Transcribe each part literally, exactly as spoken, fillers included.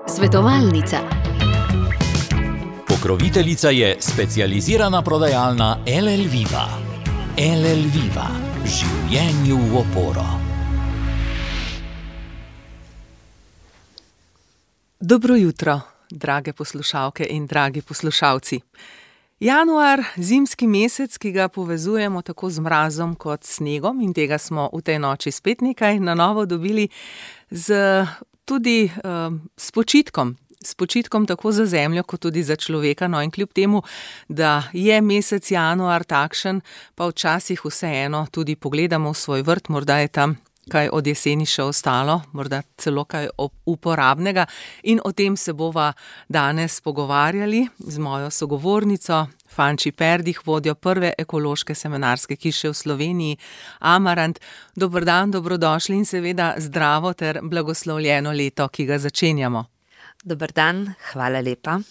Svetovalnica. Pokroviteljica je specializirana prodajalna L L Viva. L L Viva. Življenju v oporo. Dobro jutro, drage poslušalke in dragi poslušalci. Januar, zimski mesec, ki ga povezujemo tako z mrazom kot snegom, in tega smo v tej noči spet nekaj na novo dobili z, tudi uh, s počitkom. S počitkom tako za zemljo, kot tudi za človeka. No, in kljub temu, da je mesec januar takšen, pa včasih vseeno tudi pogledamo v svoj vrt, morda je tam kaj od jeseni še ostalo, morda celo kaj uporabnega, in o tem se bova danes pogovarjali z mojo sogovornico, Fanči Perdih, vodjo prve ekološke semenarske hiše v Sloveniji, Amarant. Dober dan, dobrodošli in seveda zdravo ter blagoslovljeno leto, ki ga začenjamo. Dober dan, hvala lepa.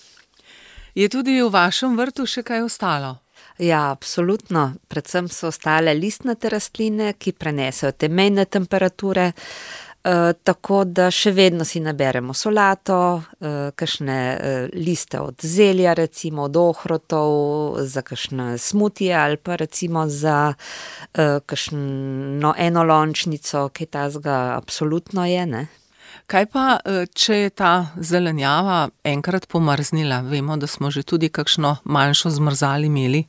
Je tudi v vašem vrtu še kaj ostalo? Ja, absolutno. Predvsem so ostale listnate rastline, ki prenesejo te mejne temperature, eh, tako da še vedno si naberemo solato, eh, kakšne eh, liste od zelja, recimo od ohrotov, za kakšne smutije ali pa recimo za eh, kakšno enolončnico, kaj tazga absolutno je, ne? Kaj pa, če je ta zelenjava enkrat pomrznila? Vemo, da smo že tudi kakšno manjšo zmrzali imeli.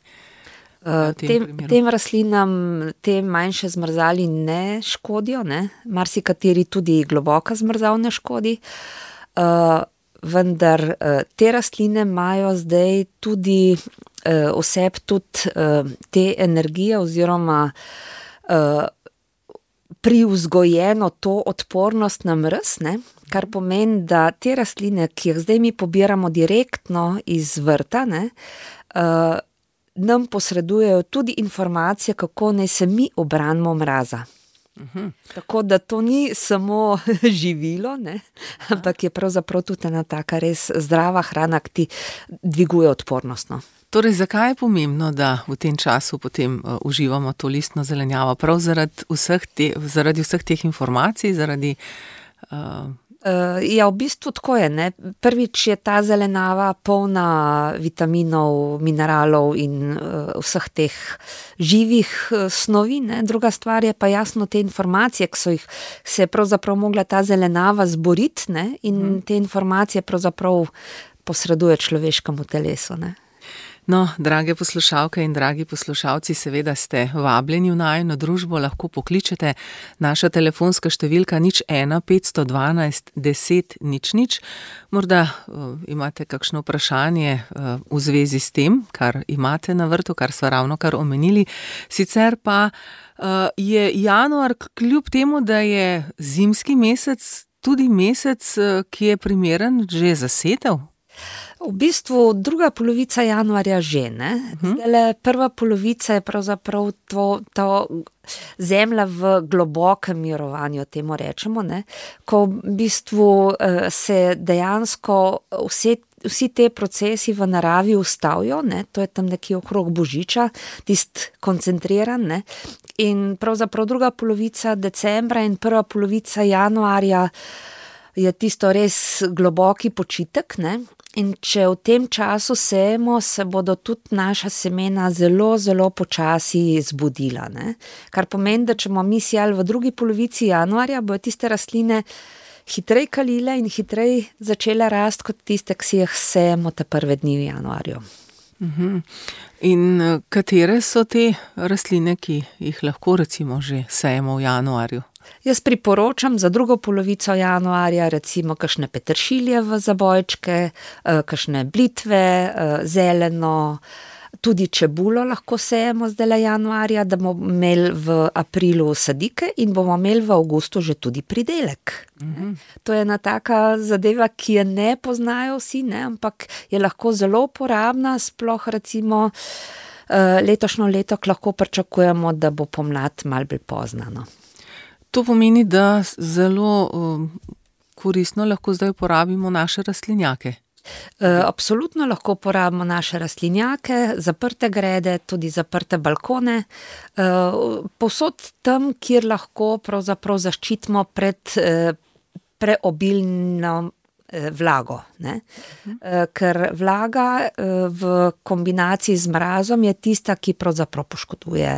Tem, tem rastlinam te manjše zmrzali ne škodijo, ne? Marsikateri tudi globoka zmrzal ne škodi, uh, vendar uh, te rastline imajo zdaj tudi uh, vseb tudi uh, te energije oziroma uh, privzgojeno to odpornost na mraz, ne? Kar pomeni, da te rastline, ki jih zdaj mi pobiramo direktno iz vrta, ne, uh, nam posredujejo tudi informacije, kako naj se mi ubranimo mraza. Uh-huh. Tako da to ni samo živilo, ne, ampak je pravzaprav tudi ena taka res zdrava hrana, ki ti dviguje odpornost, no. Torej, zakaj je pomembno, da v tem času potem uh, uživamo to listno zelenjavo? Prav zaradi vseh, te, zaradi vseh teh informacij, zaradi... Uh... Uh, ja, v bistvu tako je, ne. Prvič je ta zelenjava polna vitaminov, mineralov in uh, vseh teh živih uh, snovi, ne. Druga stvar je pa jasno te informacije, ki so jih se je pravzaprav mogla ta zelenjava zboriti, ne, in hmm. te informacije pravzaprav posreduje človeškemu telesu, ne. No, drage poslušalke in dragi poslušalci, seveda ste vabljeni v najino družbo, lahko pokličete. Naša telefonska številka nič ena petsto dvanajst deset nič nič. Morda uh, imate kakšno vprašanje uh, v zvezi s tem, kar imate na vrtu, kar sva ravno kar omenili. Sicer pa uh, je januar, kljub temu, da je zimski mesec, tudi mesec, uh, ki je primeren že za setev. V bistvu druga polovica januarja že, ne. Zdajle prva polovica je pravzaprav to, to zemlja v globokem mirovanju, temu rečemo, ne, ko v bistvu uh, se dejansko vse, vsi te procesi v naravi ustavijo, ne, to je tam nekje okrog Božiča, tist koncentriran, ne, in pravzaprav druga polovica decembra in prva polovica januarja je tisto res globoki počitek, ne. In če v tem času sejemo, se bodo tudi naša semena zelo, zelo počasi zbudila, ne. Kar pomeni, da če bomo mi sejali v drugi polovici januarja, bojo tiste rastline hitrej kalile in hitrej začele rasti kot tiste, ki si jih sejemo te prve dni v januarju. Uh-huh. In katere so te rastline, ki jih lahko recimo že sejemo v januarju? Jaz priporočam za drugo polovico januarja recimo kakšne peteršilje v zabojčke, kakšne blitve, zeleno, tudi čebulo lahko sejemo zdajle januarja, da bomo imeli v aprilu sadike in bomo imeli v avgustu že tudi pridelek. Mm-hmm. To je ena taka zadeva, ki je ne poznajo vsi, ne, ampak je lahko zelo uporabna, sploh recimo letošnjo leto lahko pričakujemo, da bo pomlad malo bolj pozna, no. To pomeni, da zelo um, koristno lahko zdaj uporabimo naše rastlinjake. Absolutno lahko uporabimo naše rastlinjake, zaprte grede, tudi zaprte balkone, povsod tam, kjer lahko pravzaprav zaščitimo pred preobilno vlago, ne? Ker vlaga v kombinaciji z mrazom je tista, ki pravzaprav poškoduje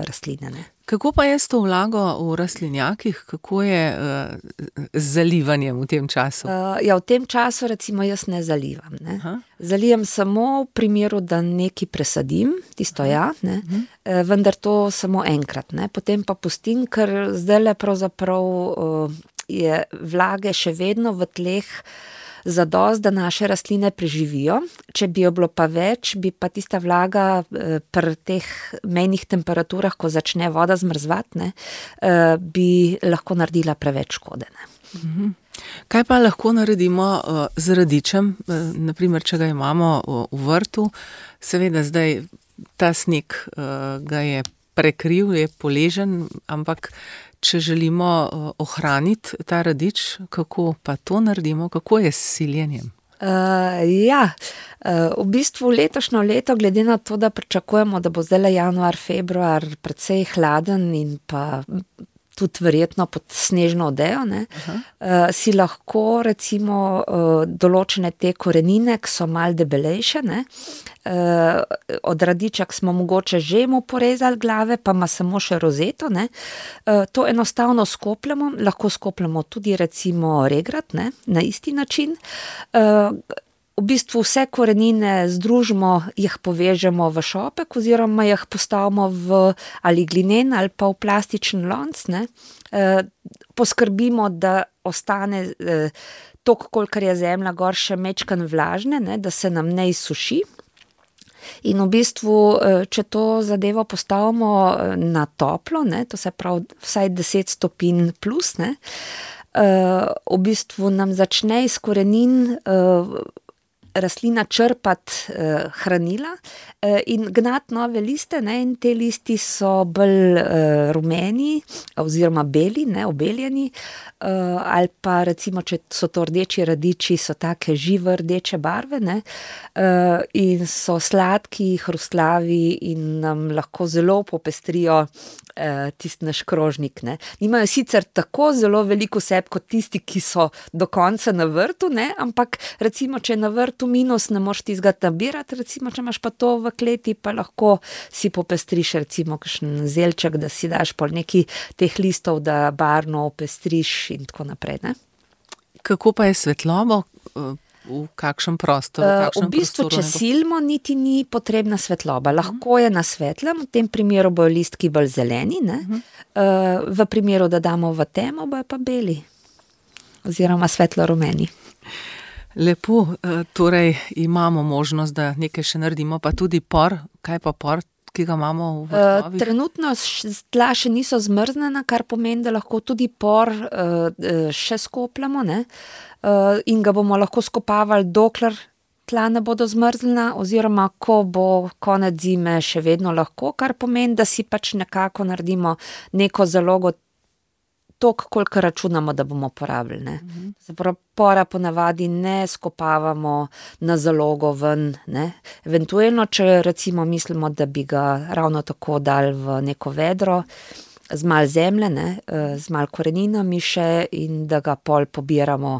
rastline. Ne? Kako pa je s to vlago v rastlinjakih? Kako je z zalivanjem v tem času? Ja, v tem času recimo jaz ne zalivam. Ne? Zalijem samo v primeru, da nekaj presadim, tisto ja, ne? Vendar to samo enkrat. Ne? Potem pa pustim, ker zdajle pravzaprav je vlage še vedno v tleh zadost, da naše rastline preživijo. Če bi jo bilo pa več, bi pa tista vlaga pri teh mejnih temperaturah, ko začne voda zmrzvati, ne, bi lahko naredila preveč škode. Ne. Kaj pa lahko naredimo z radičem, naprimer, če ga imamo v vrtu? Seveda zdaj ta sneg ga je prekril, je poležen, ampak če želimo ohraniti ta radič, kako pa to naredimo? Kako je s siljenjem? Uh, ja, uh, v bistvu letošnjo leto, glede na to, da pričakujemo, da bo zdaj januar, februar precej hladen in pa tudi verjetno pod snežno odejo, ne, uh, si lahko recimo uh, določene te korenine, ki so malo debelejše, ne, uh, od radičak smo mogoče že mu porezali glave, pa ima samo še rozeto, ne, uh, to enostavno skopljamo, lahko skopljamo tudi recimo regrat, ne, na isti način. Uh, V bistvu vse korenine združimo, jih povežemo v šopek oziroma jih postavimo v ali glinen ali pa v plastičen lonc, ne. E, poskrbimo, da ostane e, toliko, kolikor je zemlja gor še mečkan vlažne, ne, da se nam ne izsuši. In v bistvu, če to zadevo postavimo na toplo, ne, to se pravi vsaj deset stopinj plus, ne, e, v bistvu nam začne iz korenin e, rastlina črpati eh, hranila eh, in gnati nove liste, ne, in te listi so bolj eh, rumeni oziroma beli, ne, obeljeni, eh, ali pa recimo, če so to rdeči radiči, so take žive rdeče barve, ne, eh, in so sladki, hrustlavi in nam lahko zelo popestrijo eh, tisti naš krožnik. Ne. Nimajo sicer tako zelo veliko seb kot tisti, ki so do konca na vrtu, ne, ampak recimo, če je na vrtu minus, ne moš tizga nabirati, recimo, če imaš pa to v kleti, pa lahko si popestriš recimo kakšen zelček, da si daš pol neki teh listov, da barno opestriš in tako naprej, ne. Kako pa je svetlobo? V kakšnem prostoru? V, kakšnem v bistvu, prostoru če silimo, niti ni potrebna svetloba. Lahko je na svetlem, v tem primeru bojo listki bolj zeleni, ne. Uh-huh. V primeru, da damo v temo, bojo pa beli oziroma svetlo rumeni. Lepo, torej imamo možnost, da nekaj še naredimo, pa tudi por. Kaj pa por, ki ga imamo v vrtovih? Trenutno tla še niso zmrznjena, kar pomeni, da lahko tudi por še skopljamo, ne? In ga bomo lahko skopavali, dokler tla ne bodo zmrznjena, oziroma ko bo konec zime še vedno lahko, kar pomeni, da si pač nekako naredimo neko zalogo toliko, koliko računamo, da bomo porabili, ne. Zapravo, pora ponavadi ne skopavamo na zalogo ven, ne. Eventualno, če recimo mislimo, da bi ga ravno tako dali v neko vedro, z malo zemlje, ne, z malo koreninami še in da ga pol pobiramo,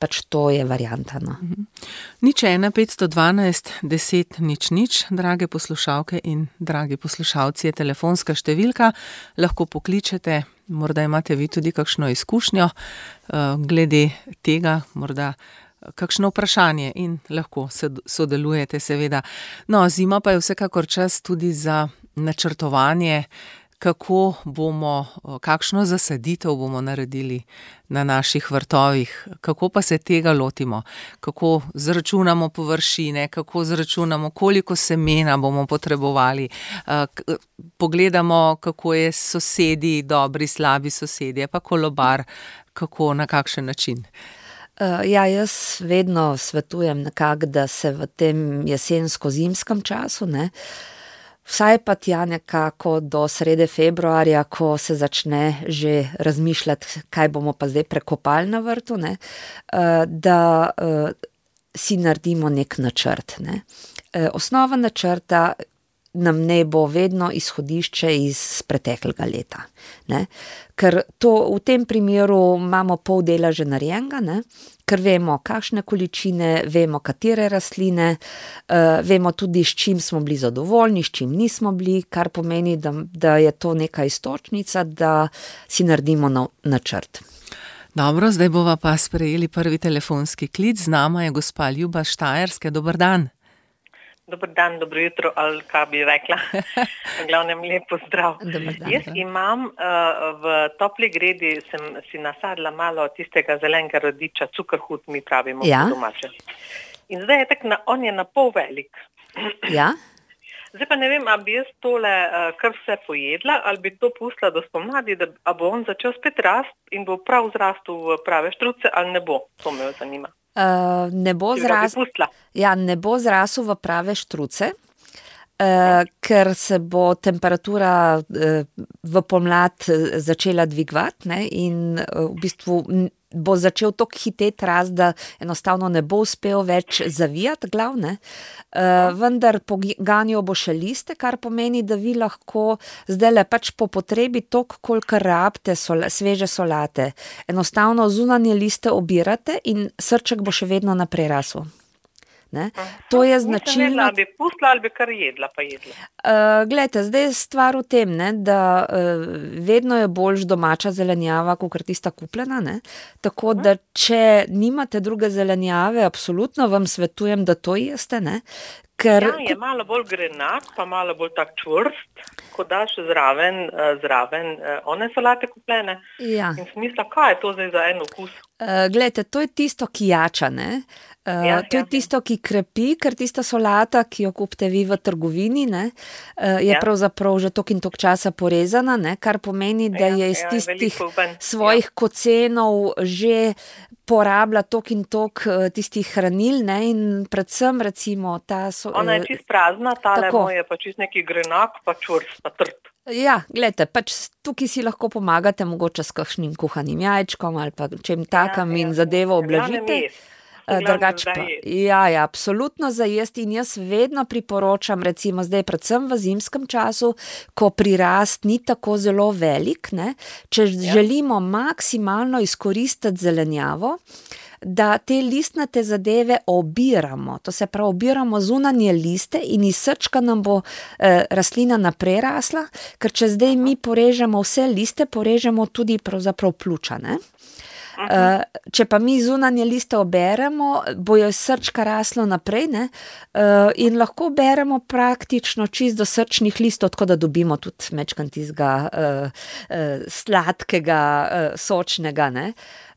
pač to je varianta, no. Nič ena, petsto dvanajst, deset, nič, nič, drage poslušalke in dragi poslušalci, je telefonska številka, lahko pokličete, morda imate vi tudi kakšno izkušnjo glede tega, morda kakšno vprašanje in lahko sodelujete seveda. No, zima pa je vsekakor čas tudi za načrtovanje, kako bomo, kakšno zasaditev bomo naredili na naših vrtovih, kako pa se tega lotimo, kako zračunamo površine, kako zračunamo, koliko semena bomo potrebovali, pogledamo, kako je s sosedi, dobri, slabi sosedje, pa kolobar, kako, na kakšen način. Ja, jaz vedno svetujem nekako, da se v tem jesensko-zimskem času, ne, vsaj pa tja nekako do srede februarja, ko se začne že razmišljati, kaj bomo pa zdaj prekopali na vrtu, ne, da si naredimo nek načrt, ne. Osnova načrta nam ne bo vedno izhodišče iz preteklega leta. Ne? Ker to, v tem primeru imamo pol dela že narejenega, ne? Ker vemo, kakšne količine, vemo, katere rastline, uh, vemo tudi, s čim smo bili zadovoljni, s čim nismo bili, kar pomeni, da, da je to neka istočnica, da si naredimo na, načrt. Dobro, zdaj bova pa sprejeli prvi telefonski klic. Z nama je gospa Ljuba Štajerske. Dober dan. Dober dan, dobro jutro, ali kaj bi rekla. V glavnem lep pozdrav. Dan, Jaz imam uh, v topli gredi, sem si nasadila malo tistega zelenega rodiča, cukrhut mi pravimo ja. po domače. In zdaj je tak, na, on je na pol velik. Ja. Zdaj pa ne vem, a bi jaz tole uh, kar vse pojedla, ali bi to pustila do spomladi, da a bo on začel spet rast in bo prav zrastel v prave štruce, ali ne bo. To me zanima. Uh, ne bo zrasel, ja, ne bo zrasel v prave štruce, uh, ker se bo temperatura uh, v pomlad začela dvigovati, ne, in uh, v bistvu bo začel tako hiteti rast, da enostavno ne bo uspel več zavijati glav, ne. Uh, vendar poganjal bo še liste, kar pomeni, da vi lahko zdaj le pač po potrebi toliko, koliko rabite sola, sveže solate. Enostavno zunanje liste obirate in srček bo še vedno naprej rasel. Ne? To je značilno. Ali bi pustila ali bi kar jedla, pa jedla. Uh, glejte, zdaj je stvar v tem, ne, da uh, vedno je boljš domača zelenjava, kot tista kupljena, ne? Tako uh-huh. da če nimate druge zelenjave, absolutno vam svetujem, da to jeste, ne? Ker ja, je malo bolj grenak, pa malo bolj tak čvrst, ko daš zraven, zraven one solate kupljene. Ja. In smisla, kaj je to zdaj za en okus? Uh, glejte, to je tisto, ki jača, ne? Uh, ja, to je tisto, ki krepi, ker tista solata, ki jo kupite vi v trgovini, ne, uh, je ja. pravzaprav že tok in tok časa porezana, ne, kar pomeni, da ja, je iz ja, tistih svojih ja. kocenov že porablja tok in tok uh, tistih hranil, ne, in predvsem recimo ta... So, Ona je čist prazna, tale moj je pa čist neki grenak, pa čvrst, pa trd. Ja, gledajte, pač tukaj si lahko pomagate mogoče s kakšnim kuhanim jajčkom ali pa čem takam ja, in ja, zadevo oblažite. Drugač pa, ja, ja, absolutno za jesti in jaz vedno priporočam, recimo zdaj predvsem v zimskem času, ko prirast ni tako zelo velik, ne, če ja. želimo maksimalno izkoristiti zelenjavo, da te listnate zadeve obiramo, to se pravi, obiramo zunanje liste in iz srčka nam bo eh, rastlina naprej rasla, ker če zdaj mi porežemo vse liste, porežemo tudi pravzaprav pljuča, ne. Uh, če pa mi zunanje liste oberemo, bojo iz srčka raslo naprej, ne, uh, in lahko beremo praktično čist do srčnih listov, tako da dobimo tudi mečkan tizga uh, uh, sladkega, uh, sočnega, ne.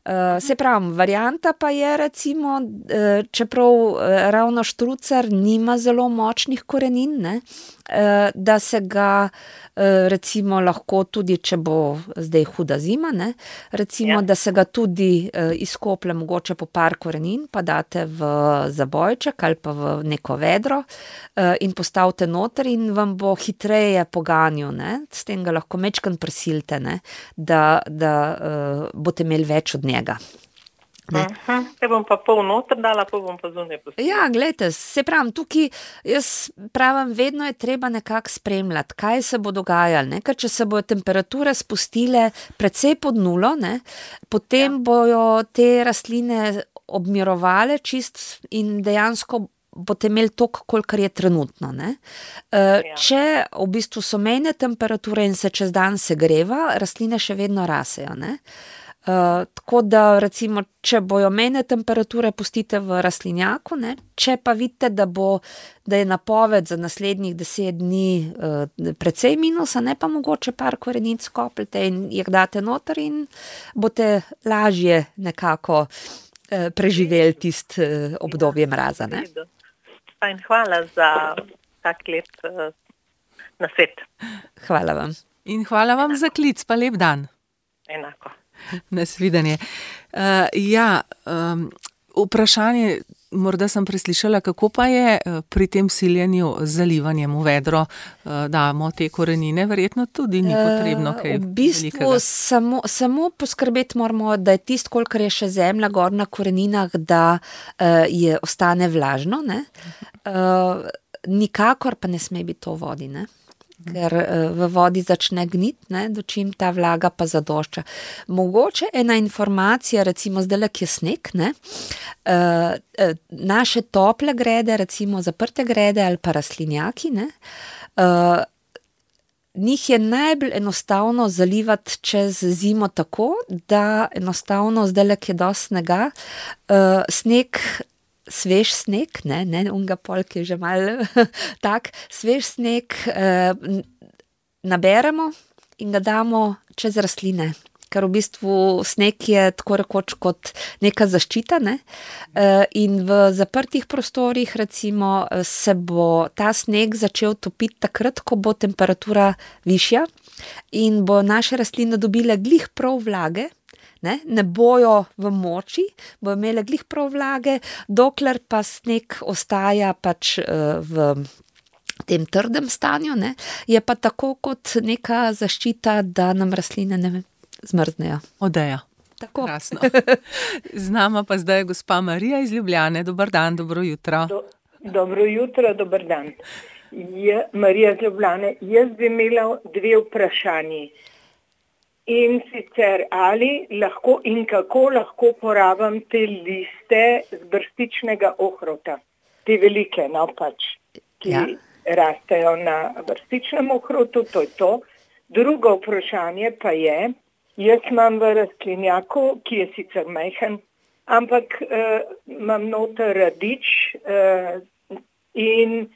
Uh, se pravi, varianta pa je recimo, uh, čeprav uh, ravno štrucar nima zelo močnih korenin, ne, uh, da se ga uh, recimo lahko tudi, če bo zdaj huda zima, ne, recimo, ja. da se ga tudi uh, izkoplje mogoče po par korenin, pa date v zabojček ali pa v neko vedro uh, in postavite noter in vam bo hitreje poganjal, ne, s tem ga lahko mečkan prisilite, ne, da, da uh, boste imeli več od njega. Uh-huh. Te bom pa pol noter dala, pa bom pa zunaj pustila. Ja, gledajte, se pravim, tukaj jaz pravim, vedno je treba nekako spremljati, kaj se bo dogajalo, ne? Ker če se bojo temperature spustile precej pod nulo, ne? Potem ja. bojo te rastline obmirovale čist in dejansko boste imeli toliko, kolikor je trenutno, ne. Uh, ja. Če v bistvu so mejne temperature in se čez dan segreva, rastline še vedno rasejo, ne. Uh, tako da recimo, če bojo mejne temperature pustite v rastlinjaku, ne, če pa vidite, da bo, da je napoved za naslednjih deset dni uh, precej minusa, ne, pa mogoče par korenic skopljete in jih date noter in boste lažje nekako uh, preživeli tist uh, obdobje mraza, ne. In hvala za tak lep uh, nasvet. Hvala vam. In hvala vam Enako. Za klic, pa lep dan. Enako. Nasvidenje. Uh, ja, um, vprašanje, morda sem preslišala, kako pa je pri tem siljenju z zalivanjem v vedro, uh, damo te korenine, verjetno tudi ni potrebno kaj uh, v bistvu samo, samo poskrbeti moramo, da je tisto, kolikor je še zemlja gor na koreninah, da uh, je ostane vlažno, ne. Uh, nikakor pa ne sme biti to v vodi, ne? Ker v vodi začne gnit, ne, dočim ta vlaga pa zadošča. Mogoče ena informacija, recimo zdajle, ki je sneg, ne, uh, naše tople grede, recimo zaprte grede ali pa rastlinjaki, ne, uh, njih je najbolj enostavno zalivati čez zimo tako, da enostavno zdajle, ki je dosti snega, uh, sneg svež sneg, ne, ne, unga polk je že malo tak, svež sneg eh, naberemo in ga damo čez rastline, ker v bistvu sneg je tako rekoč kot neka zaščita, ne, eh, in v zaprtih prostorih recimo se bo ta sneg začel topiti takrat, ko bo temperatura višja in bo naše rastline dobile glih prav vlage. Ne, ne bojo v moči, bojo imele glih prav vlage, dokler pa sneg ostaja pač uh, v tem trdem stanju, ne, je pa tako kot neka zaščita, da nam rastline ne zmrznejo. Odeja. Tako. Krasno. Z nama pa zdaj je gospa Marija iz Ljubljane. Dobar dan, dobro jutro. Do, dobro jutro, dober dan. Je, Marija iz Ljubljane, jaz bi imela dve vprašanji. In sicer ali lahko in kako lahko porabim te liste z brstičnega ohrovta, te velike, no pač, ki ja. rastejo na brstičnem ohrovtu, to je to. Drugo vprašanje pa je, jaz imam v rastlinjaku, ki je sicer majhen, ampak uh, imam noter radič uh, in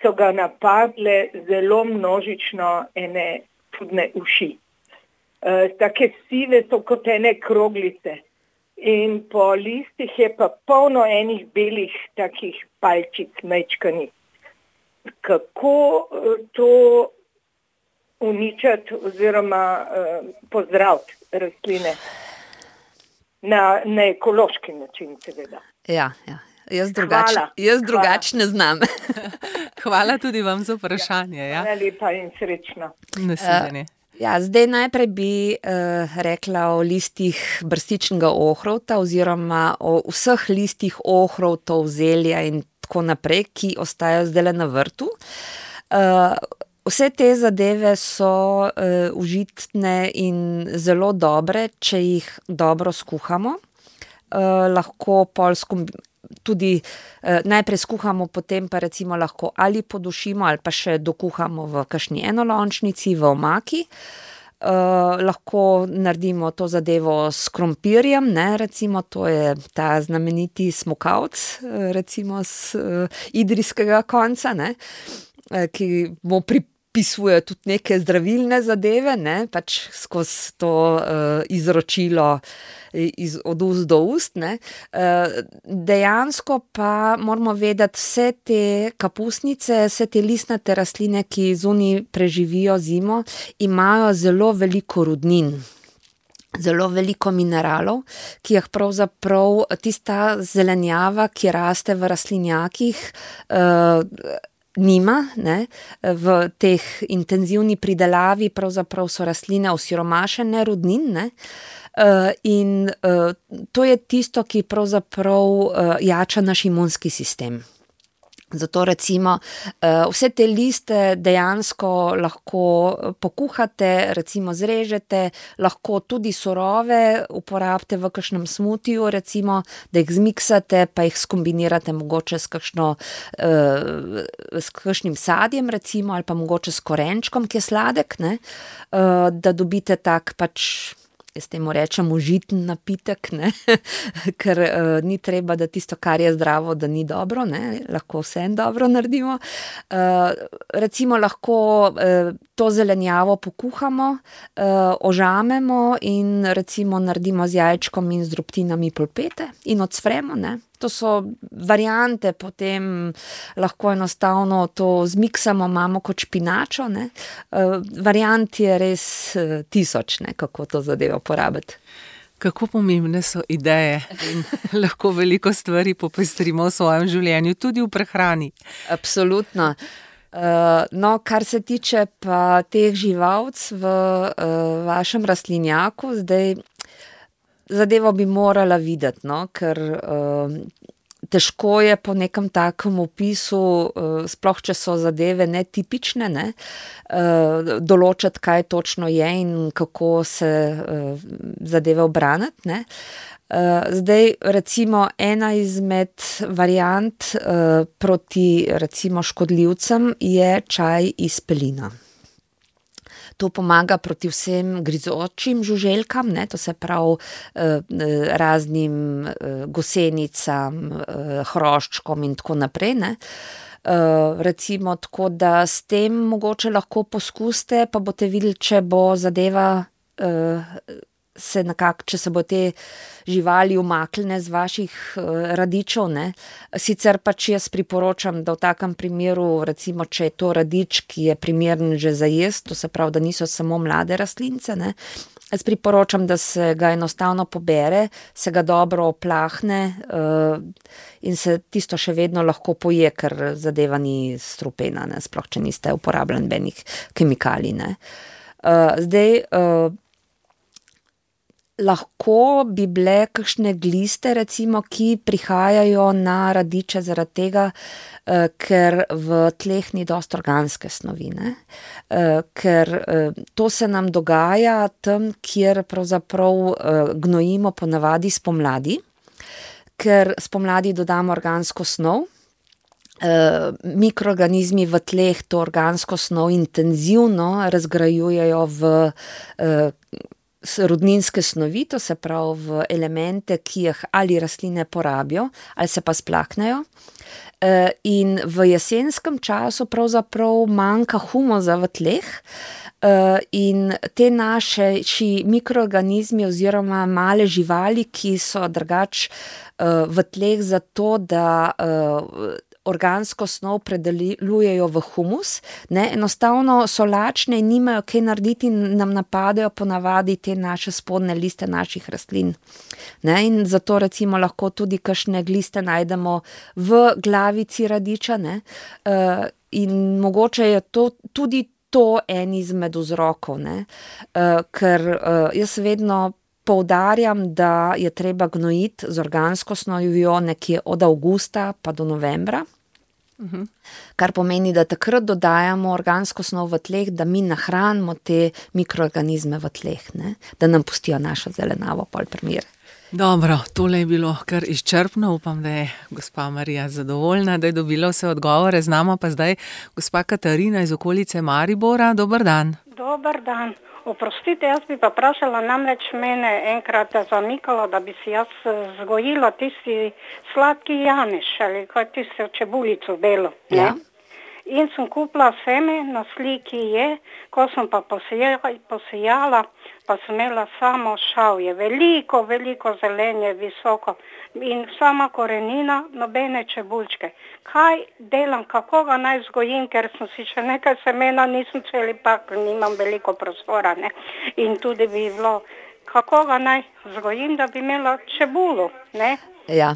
so ga napadle zelo množično ene čudne uši. Uh, take sive so kot ene kroglice in po listih je pa polno enih belih takih palčic mečkanih. Kako uh, to uničati oziroma uh, pozdraviti rastline na, na ekološki način, seveda. Ja, ja. Jaz drugače, jaz drugače ne znam. Hvala tudi vam za vprašanje. Ja. Hvala lepa in srečno. Nasvidenje. Uh, Ja, zdaj najprej bi uh, rekla o listih brstičnega ohrovta oziroma o vseh listih ohrovtov, zelja in tako naprej, ki ostajajo zdaj na vrtu. Uh, vse te zadeve so uh, užitne in zelo dobre, če jih dobro skuhamo. Uh, lahko pol skombi- tudi eh, najprej skuhamo, potem pa recimo lahko ali podušimo ali pa še dokuhamo v kakšni enolončnici, v omaki. Eh, lahko naredimo to zadevo s krompirjem, ne, recimo to je ta znameniti smokavc, eh, recimo z eh, idrijskega konca, ne, eh, ki mu pripisuje tudi neke zdravilne zadeve, ne, pač skozi to eh, izročilo Iz, od ust do ust. Ne. Dejansko pa moramo vedeti, vse te kapusnice, vse te listnate rastline, ki zunaj preživijo zimo, imajo zelo veliko rudnin, zelo veliko mineralov, ki jih pravzaprav tista zelenjava, ki raste v rastlinjakih, eh, nima, ne, v teh intenzivni pridelavi pravzaprav so rastline osiromašene rudnin, ne. Uh, in uh, to je tisto, ki pravzaprav uh, jača naš imunski sistem. Zato recimo uh, vse te liste dejansko lahko pokuhate, recimo zrežete, lahko tudi surove uporabite v kakšnem smutiju, recimo, da jih zmiksate, pa jih skombinirate mogoče s kakšno, uh, s kakšnim sadjem, recimo, ali pa mogoče s korenčkom, ki je sladek, ne, uh, da dobite tak pač, jaz temu rečem užiten napitek, ne? Ker uh, ni treba, da tisto, kar je zdravo, da ni dobro, ne? Lahko vse dobro naredimo. Uh, recimo lahko uh, to zelenjavo pokuhamo, uh, ožamemo in recimo naredimo z jajčkom in z drobtinami polpete in odsfremo, ne? To so variante, potem lahko enostavno to zmiksamo, imamo kot špinačo, ne. Uh, variant je res uh, tisoč, ne, kako to zadevo porabiti. Kako pomembne so ideje in lahko veliko stvari popestrimo v svojem življenju, tudi v prehrani. Absolutno. Uh, no, kar se tiče pa teh živalc v uh, vašem rastlinjaku, zdaj zadevo bi morala videti, no, ker uh, težko je po nekem takem opisu, uh, sploh če so zadeve netipične, ne, uh, določiti, kaj točno je in kako se uh, zadeve obraniti, ne. Uh, zdaj, recimo, ena izmed variant uh, proti, recimo, škodljivcem je čaj iz pelina. To pomaga proti vsem grizočim žuželkam, ne, to se pravi eh, raznim eh, gosenicam, eh, hroščkom in tako naprej, ne. Eh, recimo tako, da s tem mogoče lahko poskusite, pa boste videli, če bo zadeva eh, se nekako, če se bo te živali umaknile z vaših uh, radičev, ne. Sicer pač jaz priporočam, da v takem primeru, recimo, če je to radič, ki je primeren že za jesti, to se pravi, da niso samo mlade rastlince, ne. Jaz priporočam, da se ga enostavno pobere, se ga dobro oplahne uh, in se tisto še vedno lahko poje, ker zadeva ni strupena, ne, sploh če niste uporabljali benih kemikalij, ne. Uh, zdaj, uh, lahko bi bile kakšne gliste, recimo, ki prihajajo na radiče zaradi tega, eh, ker v tleh ni dosti organske snovi, ne. Eh, ker eh, to se nam dogaja tam, kjer pravzaprav eh, gnojimo ponavadi spomladi, ker spomladi dodamo organsko snov. Uh, mikroorganizmi v tleh to organsko snov intenzivno razgrajujejo v uh, rodninske snovi, to se pravi v elemente, ki jih ali rastline porabijo, ali se pa splaknejo. Uh, in v jesenskem času pravzaprav manjka humusa v tleh, uh, in te naše mikroorganizmi oziroma male živali, ki so drugač uh, v tleh zato, da uh, organsko snov predelujejo v humus, ne, enostavno so lačne in nimajo kaj narediti in nam napadajo ponavadi te naše spodnje liste naših rastlin. Ne, in zato recimo lahko tudi kakšne gliste najdemo v glavici radiča, ne, uh, in mogoče je to tudi to en izmed vzrokov, ne, uh, ker uh, jaz vedno poudarjam, da je treba gnojiti z organsko snovjo nekje od avgusta pa do novembra, uh-huh. Kar pomeni, da takrat dodajamo organsko snov v tleh, da mi nahranimo te mikroorganizme v tleh, ne? Da nam pustijo našo zelenavo pol primer. Dobro, tole je bilo kar izčrpno, upam, da je gospa Marija zadovoljna, da je dobila vse odgovore, z nama pa zdaj gospa Katarina iz okolice Maribora. Dober dan. Dober dan. Oprostite, jaz bi pa vprašala, namreč mene enkrat zamikalo, da bi si jaz vzgojila tisti sladki janeš, ali kaj tisto čebulico belo. Ja. In sem kupila seme, na sliki je, ko sem pa posijala, posijala pa sem imela samo šavje, veliko, veliko zelenje, visoko in sama korenina, nobene čebulčke. Kaj delam, kako ga naj vzgojim, ker sem si še nekaj semena, nisem celi pak, nimam veliko prostora, ne. In tudi bi bilo, kako ga naj vzgojim, da bi imela čebulo, ne. Ja.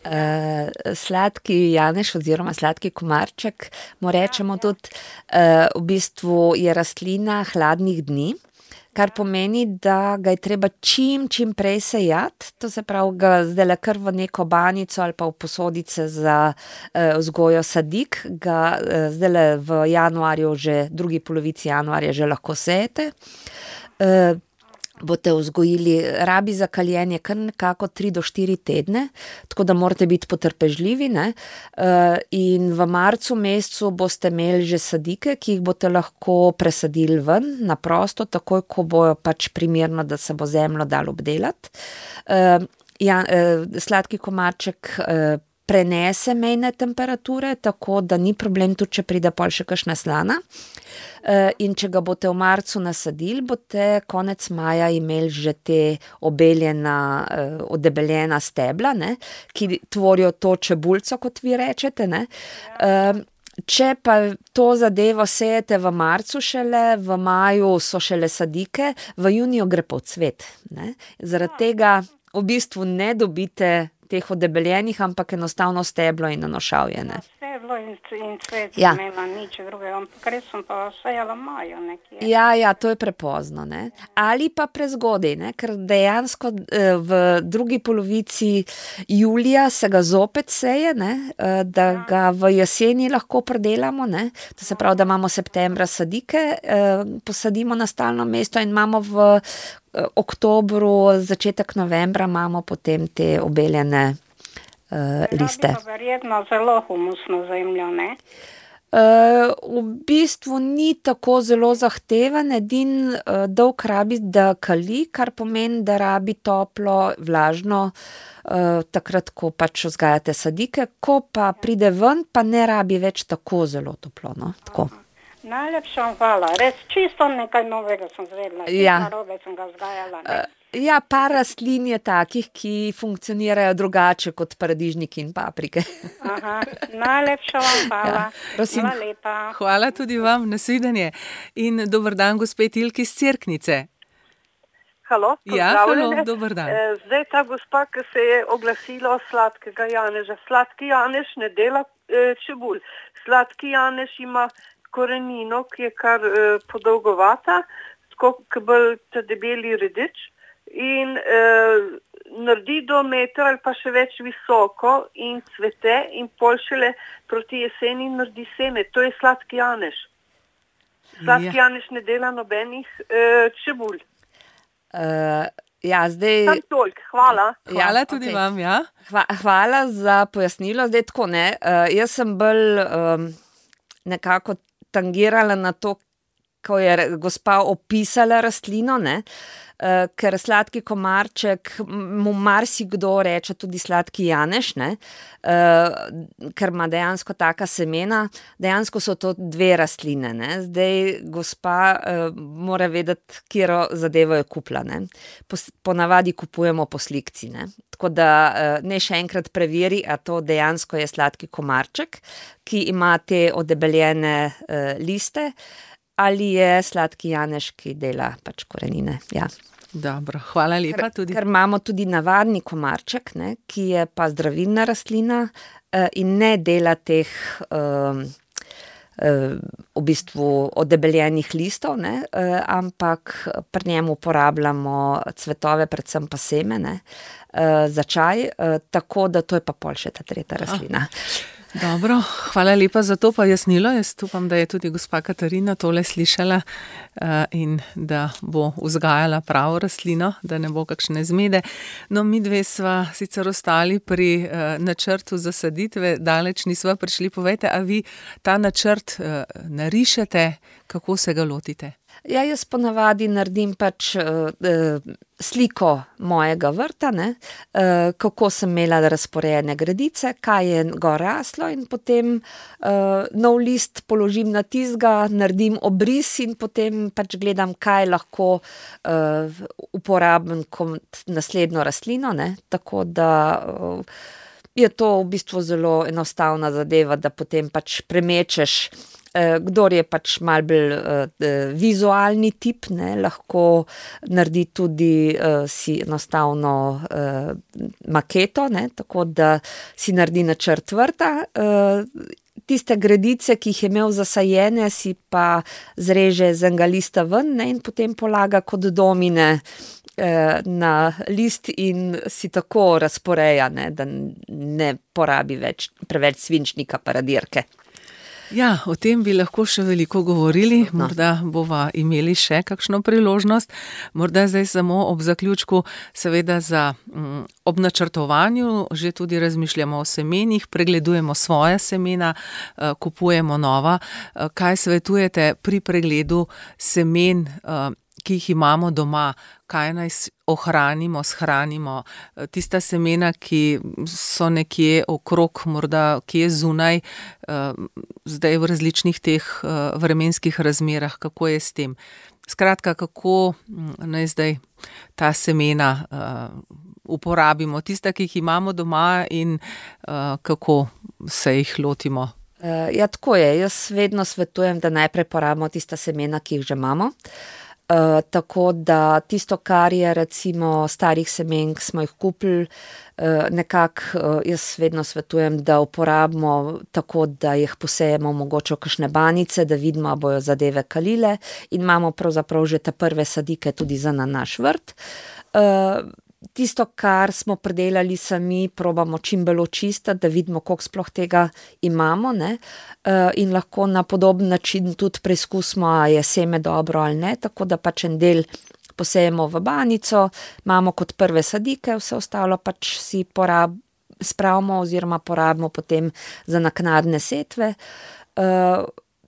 Uh, sladki janeš oziroma sladki komarček, mu rečemo tudi, uh, v bistvu je rastlina hladnih dni, kar pomeni, da ga je treba čim, čim prej sejati, to se pravi, ga zdajle kar v neko banico ali pa v posodice za uh, vzgojo sadik, ga uh, zdajle v januarju, že drugi polovici januarja že lahko sejete. Uh, boste vzgojili, rabi za kaljenje kar nekako tri do štiri tedne, tako da morate biti potrpežljivi, ne, in v marcu mesecu boste imeli že sadike, ki jih boste lahko presadili ven, na prosto, takoj, ko bojo pač primerno, da se bo zemljo dalo obdelati. Ja, sladki komarček prenese mejne temperature, tako da ni problem tudi, če pride pol še kakšna slana. In če ga boste v marcu nasadili, boste konec maja imeli že te obeljena, odebeljena stebla, ne, ki tvorijo to čebulco, kot vi rečete, ne. Če pa to zadevo sejete v marcu šele, v maju so šele sadike, v juniju gre pa v cvet, ne. Zaradi tega v bistvu ne dobite teh odebeljenih, ampak enostavno steblo in nanošavje, ne. Steblo in, in cvet Ja. imela nič drugega, ampak res sem pa sejala majo nekje. Ja, ja, to je prepozno, ne. Ali pa prezgodaj, ne, ker dejansko eh, v drugi polovici julija se ga zopet seje, ne, eh, da ga v jeseni lahko predelamo, ne. To se pravi, da imamo septembra sadike, eh, posadimo na stalno mesto in imamo v eh, oktobru, začetek novembra imamo potem te obeljene eh, liste. Rabi pa verjetno zelo humusno zemljo, ne? Uh, v bistvu ni tako zelo zahteven, edin uh, dolg rabi, da kali, kar pomeni, da rabi toplo, vlažno, uh, takrat, ko pač vzgajate sadike, ko pa pride ven, pa ne rabi več tako zelo toplo, no, tako. Najlepša vam hvala, res čisto nekaj novega sem zvedla, Ja. čisto narobe sem ga vzgajala, ne? Ja, par rastlin je takih, ki funkcionirajo drugače kot paradižniki in paprike. Aha, najlepša vam hvala, Ja, prosim. hvala lepa. Hvala tudi vam, nasvidenje. In dober dan, gospe Tilki iz Cerknice. Halo, Ja, pozdravljene. halo, dober dan. Eh, Zdaj ta gospa, ki se je oglasila o sladkega janeža. Sladki janež ne dela eh, čebul. Sladki janež ima korenino, ki je kar eh, podolgovata, tako kot bolj ta debeli redič in eh, naredi do metra ali pa še več visoko in cvete in pol šele proti jeseni naredi seme. To je sladki janež. Sladki Ja. janež ne dela nobenih eh, čebul. Uh, ja, zdaj... Sam toliko, hvala. Hvala Ja, tudi okej. vam, ja. Hva, hvala za pojasnilo. Zdaj tako, ne, uh, jaz sem bolj um, nekako tangirala na to, ko je re- gospa opisala rastlino, ne, uh, ker sladki komarček, m- mu marsikdo reče tudi sladki janež, ne, uh, ker ima dejansko taka semena, dejansko so to dve rastline, ne. Zdaj gospa uh, mora vedeti, katero zadevo je kupila, ne. Pos, ponavadi kupujemo po slikci, ne. Tako da uh, ne še enkrat preveri, a to dejansko je sladki komarček, ki ima te odebeljene uh, liste, ali je sladki janež, ki dela pač korenine. Ja. Dobro, hvala lepa Ker, tudi. ker imamo tudi navadni komarček, ne, ki je pa zdravilna rastlina uh, in ne dela teh um, uh, v bistvu odebeljenih listov, ne, uh, ampak pri njem uporabljamo cvetove, predvsem pa semene uh, za čaj, uh, tako da to je pa pol še ta tretja rastlina. Dobro, hvala lepa za to pojasnilo. Jaz upam, da je tudi gospa Katarina tole slišala uh, in da bo vzgajala pravo rastlino, da ne bo kakšne zmede. No, mi dve sva sicer ostali pri uh, načrtu zasaditve, daleč nisva prišli. Povejte, a vi ta načrt uh, narišete, kako se ga lotite? Ja, jaz ponavadi naredim pač uh, uh, sliko mojega vrta, ne, uh, kako sem imela razporejene gredice, kaj je gor raslo in potem uh, nov list položim na tizga, naredim obris in potem pač gledam, kaj lahko uh, uporabim kot naslednjo rastlino, ne, tako da uh, je to v bistvu zelo enostavna zadeva, da potem pač premečeš. Kdor je pač malo bolj uh, vizualni tip, ne, lahko naredi tudi uh, si enostavno uh, maketo, ne, tako da si naredi načrt vrta. Uh, tiste gredice, ki jih je imel zasajene, si pa zreže z enega lista ven, ne, in potem polaga kot domine uh, na list in si tako razporeja, ne, da ne porabi več, preveč svinčnika pa radirke. Ja, o tem bi lahko še veliko govorili, No. morda bova imeli še kakšno priložnost, morda zdaj samo ob zaključku, seveda za m, ob načrtovanju že tudi razmišljamo o semenih, pregledujemo svoja semena, eh, kupujemo nova. Eh, Kaj svetujete pri pregledu semen, eh, ki jih imamo doma, kaj naj s- ohranimo, shranimo, Eh, tista semena, ki so nekje okrog, morda kje zunaj, eh, zdaj v različnih teh eh, vremenskih razmerah, kako je s tem. Skratka, kako mm, naj zdaj ta semena eh, uporabimo, tista, ki jih imamo doma in eh, kako se jih lotimo. Uh, ja, tako je. Jaz vedno svetujem, da najprej porabimo tista semena, ki jih že imamo. Uh, tako da tisto, kar je recimo starih semenk, smo jih kupili, uh, nekako uh, jaz vedno svetujem, da uporabimo tako, da jih posejemo mogoče v kakšne banice, da vidimo, a bojo zadeve kalile in imamo pravzaprav že te prve sadike tudi za na naš vrt. Uh, Tisto, kar smo predelali sami, probamo čim bolj očistiti, da vidimo, koliko sploh tega imamo, ne, in lahko na podoben način tudi preizkusimo, a je seme dobro ali ne, tako da pač en del posejemo v banico, imamo kot prve sadike, vse ostalo pač si porab, spravimo oziroma porabimo potem za naknadne setve.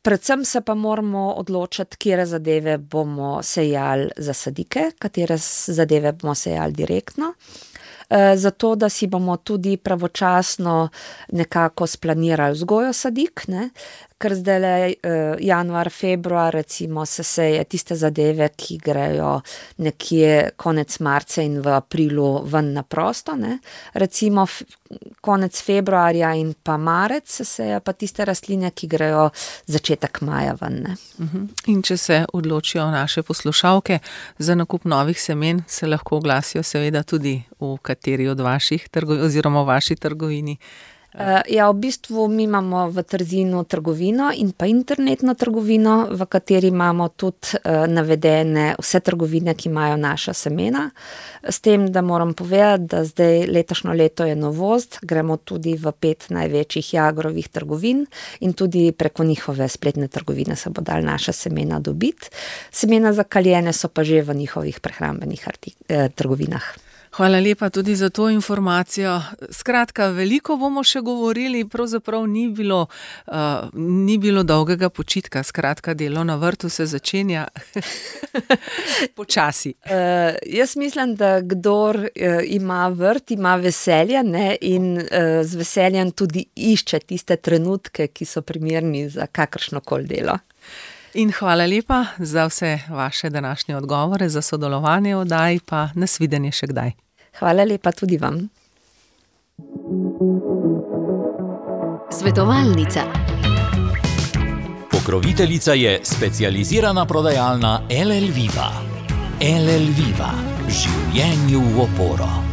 Predvsem se pa moramo odločiti, katere zadeve bomo sejali za sadike, katere zadeve bomo sejali direktno, zato da si bomo tudi pravočasno nekako splanirali vzgojo sadik, ne? Ker zdaj januar, februar recimo se seje tiste zadeve, ki grejo nekje konec marca in v aprilu ven na prosto, ne? Recimo konec februarja in pa marec se seje pa tiste rastline, ki grejo začetek maja ven, ne? In če se odločijo naše poslušalke za nakup novih semen, se lahko oglasijo seveda tudi v kateri od vaših trgovin oziroma v vaši trgovini. Uh, ja, v bistvu mi imamo v Trzinu trgovino in pa internetno trgovino, v kateri imamo tudi uh, navedene vse trgovine, ki imajo naša semena. S tem, da moram povedati, da zdaj letošnjo leto je novost, gremo tudi v pet največjih Jagrovih trgovin in tudi preko njihove spletne trgovine se bo dal naša semena dobiti. Semena za kaljene so pa že v njihovih prehrambenih artik- eh, trgovinah. Hvala lepa tudi za to informacijo. Skratka, veliko bomo še govorili, pravzaprav ni bilo, uh, ni bilo dolgega počitka, skratka, delo na vrtu se začenja počasi. Uh, jaz mislim, da kdor uh, ima vrt, ima veselje, ne, in uh, z veseljem tudi išče tiste trenutke, ki so primerni za kakršnokoli delo. In hvala lepa za vse vaše današnje odgovore, za sodelovanje v oddaji, pa nasvidenje še kdaj. Hvala lepa tudi vam. Svetovalnica. Pokroviteljica je specializirana prodajalna L L Viva. L L Viva. Življenju v oporo.